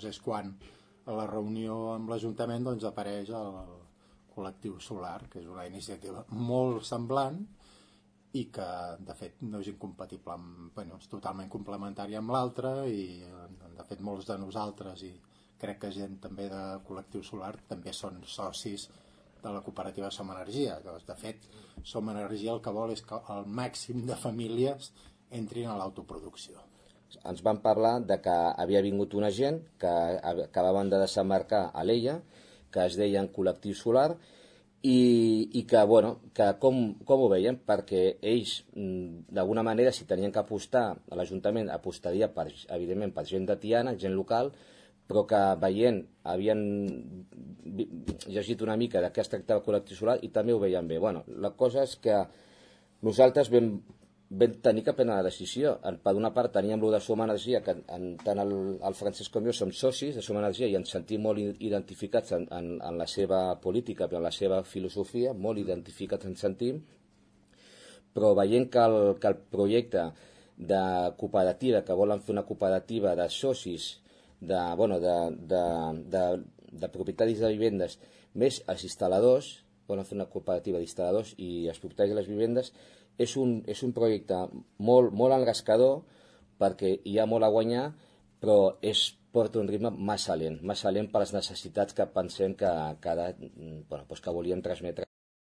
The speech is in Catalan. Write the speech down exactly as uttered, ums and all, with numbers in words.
Llavors és quan a la reunió amb l'Ajuntament doncs, apareix el col·lectiu solar, que és una iniciativa molt semblant i que de fet no és incompatible amb, bueno, és totalment complementària amb l'altra i de fet molts de nosaltres i crec que gent també de col·lectiu solar també són socis de la cooperativa Som Energia. Doncs, de fet, Som Energia el que vol és que el màxim de famílies entrin a l'autoproducció. Ens van parlar de que havia vingut una gent que acabaven de desembarcar a l'Ella, que es deien Col·lectiu Solar, i, i que, bueno, que com, com ho veien? Perquè ells, d'alguna manera, si tenien que apostar a l'Ajuntament, apostaria, per, evidentment, per gent de Tiana, gent local, però que veient, havien llegit una mica de què es tractava el Col·lectiu Solar i també ho veien bé. Bueno, la cosa és que nosaltres vam vam tenir que prendre la decisió. Per una part teníem el de Som Energia, que en, tant el, el Francesc com jo som socis de Som Energia i ens sentim molt identificats en, en, en la seva política i en la seva filosofia, molt identificats ens sentim, però veient que el, que el projecte de cooperativa, que volen fer una cooperativa de socis, de, bueno, de, de, de, de propietaris de vivendes, més els instal·ladors, volen fer una cooperativa d'instal·ladors i els propietaris de les vivendes, és un, és un projecte molt, molt engrescador perquè hi ha molt a guanyar, però és, porta un ritme massa lent, massa lent per les necessitats que pensem que, que, bueno, doncs que volíem transmetre.